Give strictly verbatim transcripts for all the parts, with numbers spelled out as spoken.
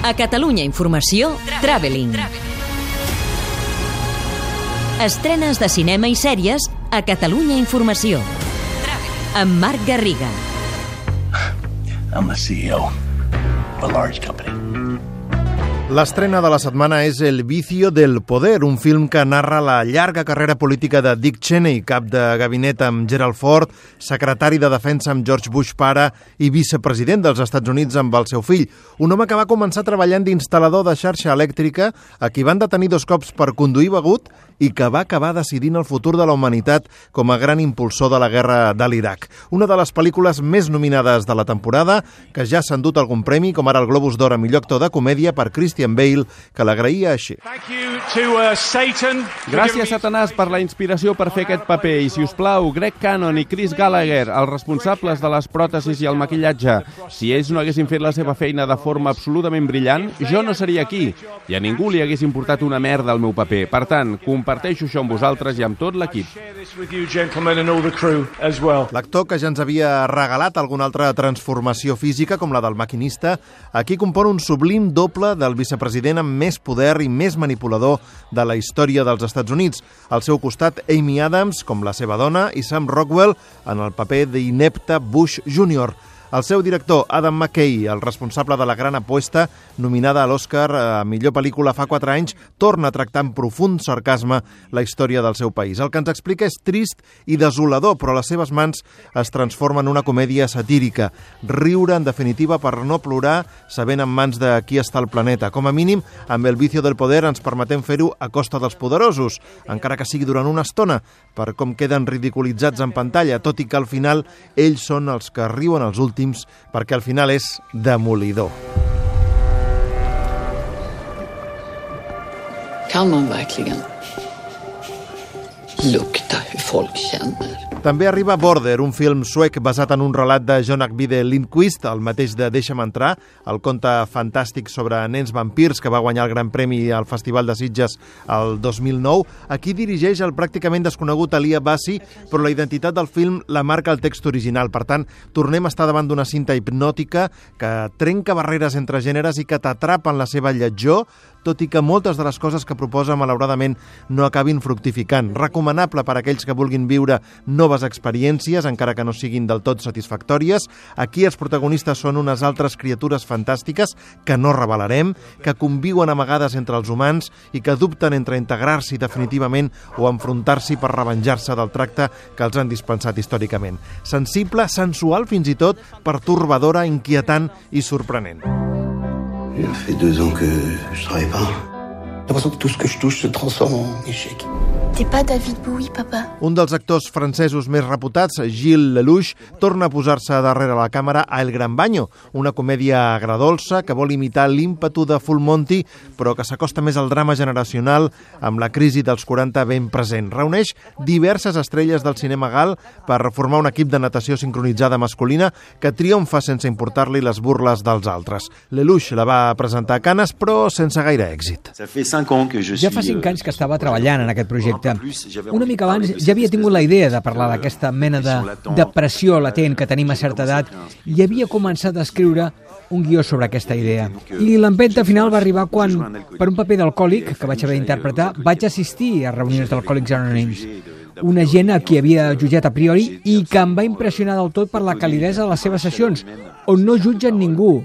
A Catalunya Informació, Traveling. Estrenes de cinema i sèries a Catalunya Informació. Amb Marc Garriga. I'm the C E O of a large company. L'estrena de la setmana és El vicio del poder, un film que narra la llarga carrera política de Dick Cheney, cap de gabinet amb Gerald Ford, secretari de defensa amb George Bush pare i vicepresident dels Estats Units amb el seu fill. Un home que va començar treballant d'instal·lador de xarxa elèctrica, a qui van detenir dos cops per conduir begut i que va acabar decidint el futur de la humanitat com a gran impulsor de la guerra de l'Iraq. Una de les pel·lícules més nominades de la temporada, que ja s'ha endut algun premi, com ara el Globus d'Or a millor actor de comèdia per Christian Bale, que l'agraïa així. Gràcies, Satanàs, per la inspiració per fer aquest paper. I, si us plau, Greg Cannon i Chris Gallagher, els responsables de les pròtesis i el maquillatge. Si ells no haguessin fet la seva feina de forma absolutament brillant, jo no seria aquí. I a ningú li hagués importat una merda el meu paper. Per tant, comparteixo això amb vosaltres i amb tot l'equip. L'actor, que ja ens havia regalat alguna altra transformació física, com la del maquinista, aquí compon un sublim doble del vicepresident amb més poder i més manipulador de la història dels Estats Units. Al seu costat, Amy Adams, com la seva dona, i Sam Rockwell, en el paper d'inepte Bush júnior El seu director, Adam McKay, el responsable de La gran apuesta, nominada a l'Oscar a millor pel·lícula fa quatre anys, torna a tractar amb profund sarcasme la història del seu país. El que ens explica és trist i desolador, però a les seves mans es transforma en una comèdia satírica. Riure, en definitiva, per no plorar, sabent en mans de qui està el planeta. Com a mínim, amb El vicio del poder ens permetem fer-ho a costa dels poderosos, encara que sigui durant una estona, per com queden ridiculitzats en pantalla, tot i que al final ells són els que riuen els últims, perquè al final és demolidor. Kan man verkligen lukta hur folk känner? També arriba Border, un film suec basat en un relat de John Ajvide Lindqvist, el mateix de Deixa'm entrar, el conte fantàstic sobre nens vampirs que va guanyar el Gran Premi al Festival de Sitges el dos mil nou. Aquí dirigeix el pràcticament desconegut Alia Bassi, però la identitat del film la marca el text original. Per tant, tornem a estar davant d'una cinta hipnòtica que trenca barreres entre gèneres i que t'atrapa en la seva lletjor, tot i que moltes de les coses que proposa, malauradament, no acabin fructificant. Recomanable per a aquells que vulguin viure noves experiències, encara que no siguin del tot satisfactòries. Aquí els protagonistes són unes altres criatures fantàstiques que no revelarem, que conviuen amagades entre els humans i que dubten entre integrar-s'hi definitivament o enfrontar-s'hi per revenjar-se del tracte que els han dispensat històricament. Sensible, sensual, fins i tot pertorbadora, inquietant i sorprenent. Il fait deux ans que je travaille pas. J'ai l'impression que tout ce que je touche se transforme en échec. T'es pas David Bowie, papa? Un dels actors francesos més reputats, Gilles Lelouch, torna a posar-se darrere la càmera a El Gran Baño, una comèdia agradolça que vol imitar l'ímpetu de Full Monty, però que s'acosta més al drama generacional amb la crisi dels quaranta ben present. Reuneix diverses estrelles del cinema gal per formar un equip de natació sincronitzada masculina que triomfa sense importar-li les burles dels altres. Lelouch la va presentar a Canes, però sense gaire èxit. Ja fa cinc anys que estava treballant en aquest projecte. Una mica abans ja havia tingut la idea de parlar d'aquesta mena de depressió latent que tenim a certa edat i havia començat a escriure un guió sobre aquesta idea. I l'empenta final va arribar quan, per un paper d'alcohòlic que vaig haver d'interpretar, vaig assistir a reunions d'Alcohòlics Anònims. Una gent a qui havia jutjat a priori i que em va impressionar del tot per la calidesa de les seves sessions, on no jutgen ningú,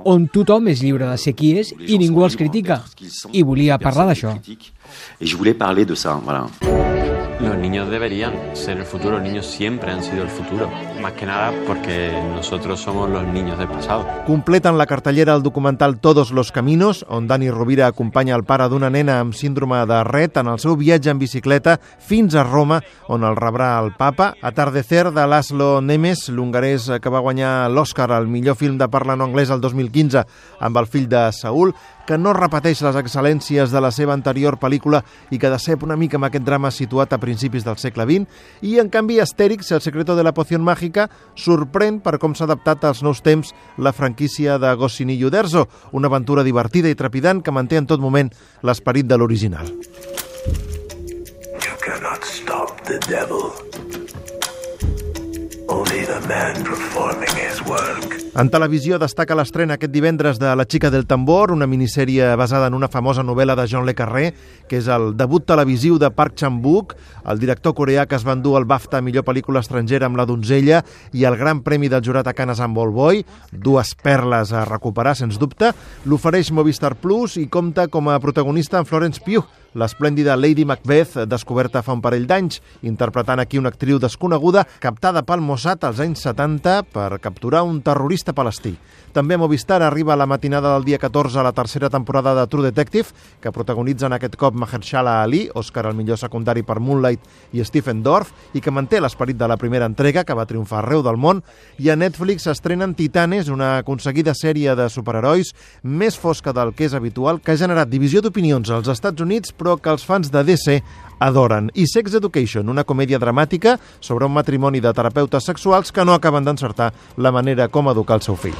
on tothom és lliure de ser qui és i ningú els critica. I volia parlar d'això. Y yo voulais parler de ça, voilà. Los niños deberían ser el futuro, los niños siempre han sido el futuro, más que nada porque nosotros somos los niños del pasado. Completen la cartellera el documental Todos los Caminos, on Dani Rovira acompanya el pare d'una nena amb síndrome de Rett en el seu viatge en bicicleta fins a Roma, on el rebrà el papa. Atardecer, de Laszlo Nemes, l'hongarès que va guanyar l'Oscar al millor film de parla no anglès el dos mil quinze amb El fill de Saúl, que no repeteix les excel·lències de la seva anterior pel·lícula i que decep una mica amb aquest drama situat a principis del segle vint, i en canvi Astèrix, El secreto de la poción mágica, sorprèn per com s'ha adaptat als nous temps la franquícia de Goscinny i Uderzo, una aventura divertida i trepidant que manté en tot moment l'esperit de l'original. You cannot stop the devil. Only the man performing his work. En televisió destaca l'estrena aquest divendres de La xica del tambor, una minissèrie basada en una famosa novel·la de John le Carré, que és el debut televisiu de Park Chan-wook, el director coreà que es va endur el BAFTA a millor pel·lícula estrangera amb La donzella i el gran premi del jurat a Cannes amb Old Boy, dues perles a recuperar, sens dubte. L'ofereix Movistar Plus i compta com a protagonista en Florence Pugh, l'esplèndida Lady Macbeth, descoberta fa un parell d'anys, interpretant aquí una actriu desconeguda captada pel Mossad als anys setanta per capturar un terrorista palestí. També a Movistar arriba a la matinada del dia catorze la tercera temporada de True Detective, que protagonitzen aquest cop Mahershala Ali, Òscar al millor secundari per Moonlight, i Stephen Dorff, i que manté l'esperit de la primera entrega, que va triomfar arreu del món. I a Netflix s'estrenen Titanes, una aconseguida sèrie de superherois més fosca del que és habitual, que ha generat divisió d'opinions als Estats Units, però que els fans de D C adoren. I Sex Education, una comèdia dramàtica sobre un matrimoni de terapeutes sexuals que no acaben d'encertar la manera com educar el seu fill.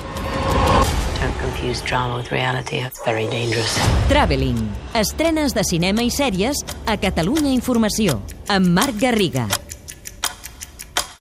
Don't confuse drama with reality. It's very dangerous. Traveling. Estrenes de cinema i sèries a Catalunya Informació, amb Marc Garriga.